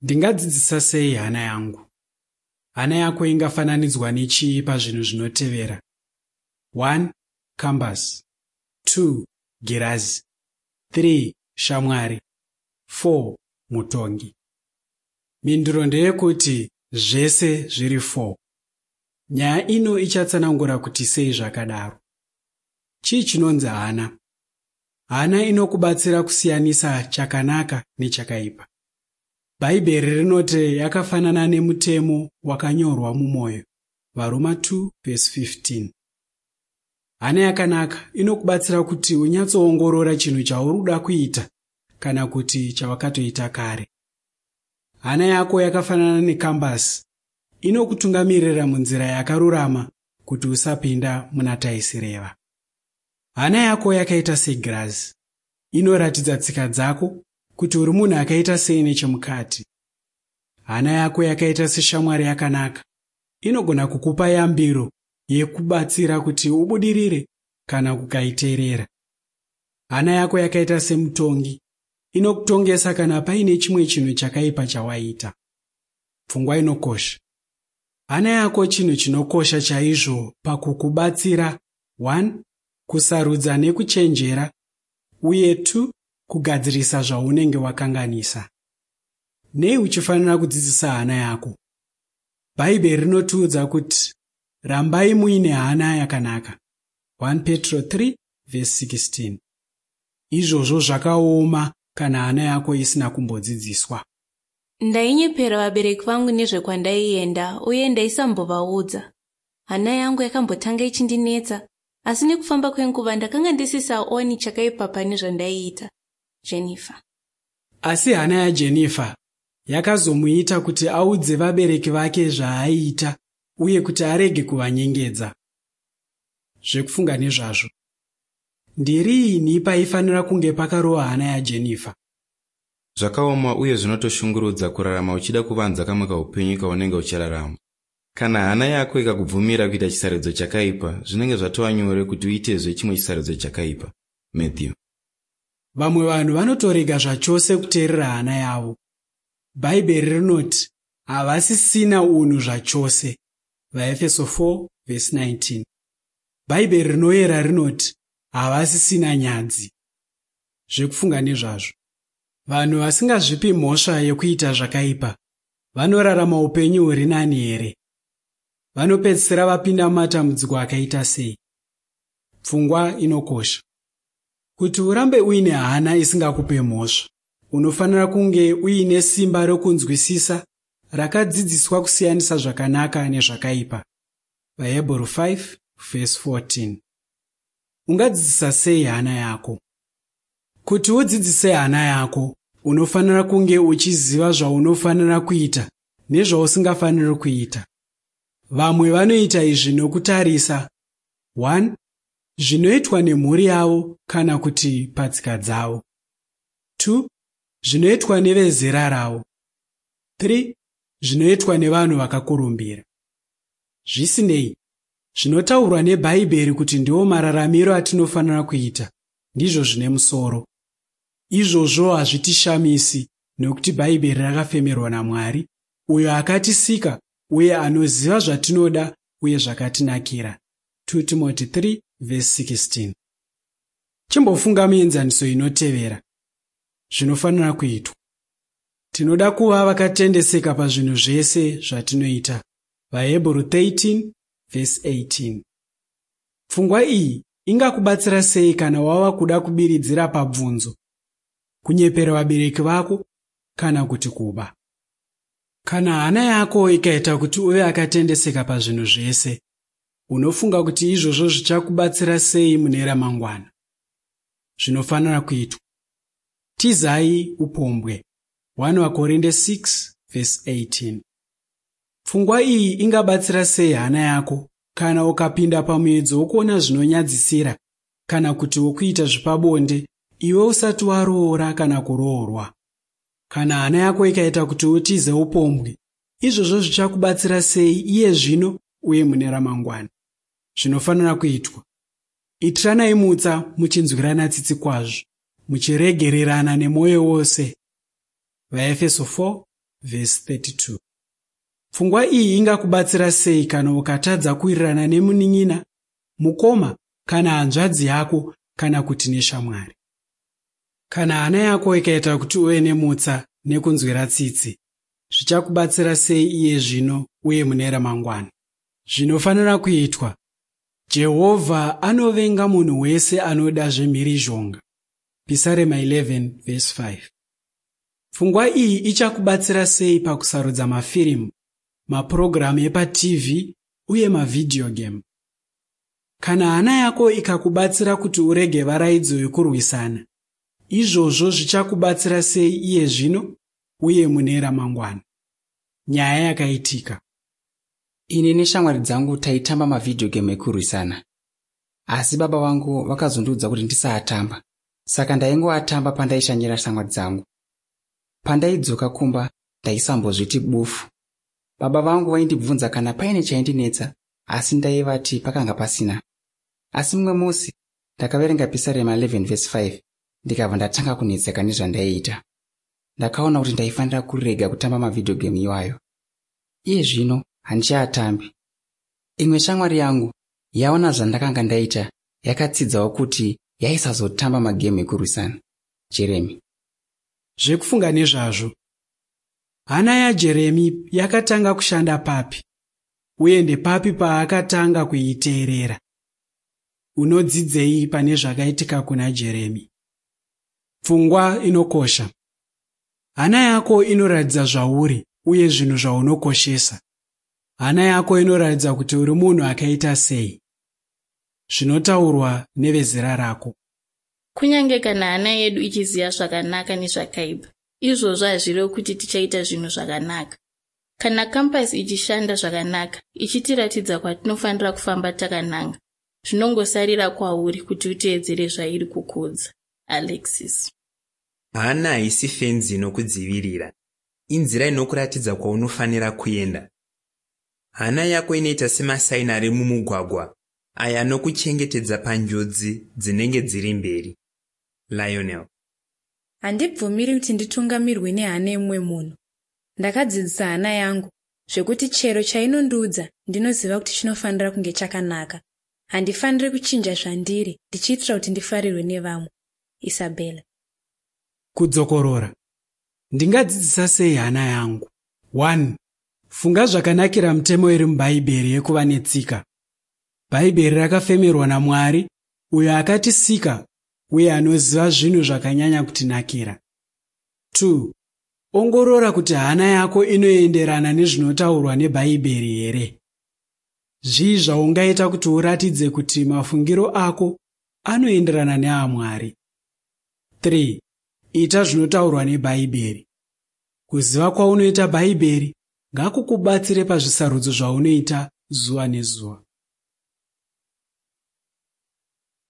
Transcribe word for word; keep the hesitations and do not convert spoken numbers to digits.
Ndingadzidzisa sei hana yangu? Hana yako ingafananidzwa nechii pazvinhu zvinotevera? one. Kambasi, two. Girazi, three. Shamwari, four. Mutongi. Mhinduro ndeyekuti zvese zviri four. Nyaya ino ichatsanangura kuti sei zvakadaro. Chii chinonzi hana? Hana inokubatsira kusiyanisa chakanaka nechakaipa. Bhaibheri rinoti yakafanana nemutemo wakanyorwa mumwoyo. VaRoma two vhesi fifteen. Hana yakanaka inokubatsira kuti unyatsoongorora chinhu chauri kuda kuita kana kuti chawakatoita kare. Hana yako yakafanana nekambasi, inokutungamirira munzira yakarurama kuti usapinda muna taisireva. Hana yako yakaita segirazi, inoratidza tsika dzako kuti uri munhu akaita sei nechemukati. Hana yako yakaita seshamwari yakanaka, inogona kukupa yambiro yekubatsira kuti ubudirire kana kukaiteerera. Hana yako yakaita semutongi, inokutongesa kana paine chimwe chinhu chakaipa chawaita. Pfungwa inokosha. Hana yako chinhu chinokosha chaizvo pakukubatsira one. Kusarudza nekuchenjera uye two. Kugadzirisa zvaunenge wakanganisa. Nei uchifanira kudzidzisa hana yako? Bhaibheri rinotiudza kuti rambai muine hana yakanaka. one Petro three vhesi sixteen. Izvozvo zvakaoma kana hana yako isina kumbodzidziswa. Ndainyepera vabereki vangu nezvekwandaienda uye ndaisambovaudza. Hana yangu yakambotanga ichindinetsa, asi nekufamba kwenguva ndakanga ndisisaoni chakaipa pane zvandaiita. Jennifer. Asi hana yaJennifer yakazomuita kuti audze vabereki vake zvaaiita uye kuti arege kuvanyengedza. Zvekufunga nezvazvo. Ndiriini paifanira kunge pakarova hana yaJennifer? Zvakaoma uye zvinotoshungurudza kurarama uchida kuvanza kamwe kaupenyu kaunenge uchirarama. Kana hana yako ikakubvumira kuita chisarudzo chakaipa, zvinenge zvatova nyore kuti uitezve chimwe chisarudzo chakaipa. Matthew. Vamwe vanhu vanotorega zvachose kuteerera hana yavo. Bhaibheri rinoti havasisina unhu zvachose. VaEfeso four vhesi nineteen. Bhaibheri rinoyera rinoti havasisina nyadzi. Zvekufunga nezvazvo. Vanhu vasingazvipi mhosva yekuita zvakaipa vanorarama upenyu huri nani here? Vanopedzisira vapinda mumatambudziko akaita sei? Pfungwa inokosha. Kuti urambe uine hana isingakupe mhosva, unofanira kunge uine simba rokunzwisisa rakadzidziswa kusiyanisa zvakanaka nezvakaipa. VaHebheru five vhesi fourteen. Ungadzidzisa sei hana yako? Kuti udzidzise hana yako, unofanira kunge uchiziva zvaunofanira kuita nezvausingafaniri kuita. Vamwe vanoita izvi nokutarisa one. Zvinoitwa nemhuri yavo kana kuti patsika dzavo, two. Zvinoitwa nevezera ravo, three. Zvinoitwa nevanhu vakakurumbira. Zvisinei, zvinotaurwa neBhaibheri kuti ndiwo mararamiro atinofanira kuita ndizvo zvine musoro. Izvozvo hazvitishamisi nokuti Bhaibheri rakafemerwa naMwari, uyo akatisika uye anoziva zvatinoda uye zvakatinakira. two Timothy three vhesi sixteen. Chimbofunga mienzaniso inotevera. Zvinofanira kuitwa. Tinoda kuva vakatendeseka pazvinhu zvese zvatinoita. VaHebheru thirteen vhesi eighteen. Pfungwa iyi ingakubatsira sei kana wava kuda kubiridzira pabvunzo, kunyepera vabereki vako kana kuti kuba? Kana hana yako ikaita kuti uve akatendeseka pazvinhu zvese, unofunga kuti izvozvo zvichakubatsira sei mune ramangwana? Zvinofanira kuitwa. Tizai upombwe. one Vakorinde six vhesi eighteen. Pfungwa iyi ingabatsira sei hana yako kana ukapinda pamuedzo wokuona zvinonyadzisira kana kuti wokuita zvepabonde iwe usati waroora kana kuroorwa? Kana hana yako ikaita kuti utize upombwe, izvozvo zvichakubatsira sei iye zvino uye mune ramangwana? Zvinofanira kuitwa. Itiranai mutsa muchinzwirana tsitsi kwazvo, muchiregererana nemwoyo wose. VaEfeso four vhesi thirty two. Pfungwa iyi ingakubatsira sei kana ukatadza kuwirirana nemunin'ina, mukoma kana hanzvadzi yako kana kuti neshamwari? Kana hana yako ikaita kuti uve nemutsa nekunzwira tsitsi, zvichakubatsira sei iye zvino uye mune ramangwana? Zvinofanira kuitwa. Jehovha anovenga munhu wese anoda zvemhirizhonga. Pisarema eleven verse five. Pfungwa iyi ichakubatsira sei pakusarudza mafirimu, mapurogiramu epa T V uye mavhidhiyo game? Kana hana yako ikakubatsira kuti urege varaidzo yekurwisana, izvozvo zvichakubatsira sei iye zvino uye mune ramangwana? Nyaya yakaitika. Ini neshamwari dzangu taitamba mavhidhiyo game ekurwisana. Asi baba vangu vakazondiudza kuti ndisaatamba. Saka ndaingoatamba pandaishanyira shamwari dzangu. Pandaidzoka kumba ndaisambozviti bufu. Baba vangu vaindibvunza kana paine chaindinetsa, asi ndaivati pakanga pasina. Asi mumwe musi ndakaverenga Pisarema eleven verse five ndikabva ndatanga kunetseka nezvandaiita. Ndakaona kuti ndaifanira kurega kutamba mavhidhiyo game iwayo. Iye zvino handichaatambi. Imwe shamwari yangu yaona zvandakanga ndaita yakatsidzawo kuti yaisazotamba magemu ekurwisana. Jeremy. Zvekufunga nezvazvo. Hana yaJeremy yakatanga kushanda papi? Uye ndepapi paakatanga kuiteerera? Unodzidzei pane zvakaitika kuna Jeremy? Pfungwa inokosha. Hana yako inoratidza zvauri uye zvinhu zvaunokoshesa. Hana yako inoratidza kuti uri munhu akaita sei. Zvinotaurwa nevezera rako. Kunyange kana hana yedu ichiziva zvakanaka nezvakaipa, izvozvo hazvirevi kuti tichaita zvinhu zvakanaka. Kana kampasi ichishanda zvakanaka, ichitiratidza kwatinofanira kufamba takananga, zvinongosarira kwauri kuti uteedzere zvairi kukuudza. Alexis. Hana haisi fenzi inokudzivirira. Inzira inokuratidza kwaunofanira kuenda. Hana yako inoita semasaini ari mumugwagwa aya anokuchengetedza panjodzi dzinenge dziri mberi. Lionel. Handibvumiri kuti nditungamirwe nehana yemumwe munhu. Ndakadzidzisa hana yangu zvekuti chero chainondiudza ndinoziva kuti chinofanira kunge chakanaka. Handifaniri kuchinja zvandiri ndichiitira kuti ndifarirwe nevamwe. Isabella. Kudzokorora. Ndingadzidzisa sei hana yangu? one. Funga zvakanakira mitemo iri muBhaibheri yekuva netsika. Bhaibheri rakafemerwa naMwari uyo akatisika uye anoziva zvinhu zvakanyanya kutinakira. two. Ongorora kuti hana yako inoenderana nezvinotaurwa neBhaibheri here. Zvii zvaungaita kuti uratidze kuti mafungiro ako anoenderana neaMwari? three. Ita zvinotaurwa neBhaibheri. Kuziva kwaunoita Bhaibheri ngakukubatsire pazvisarudzo zvaunoita zuva nezuva.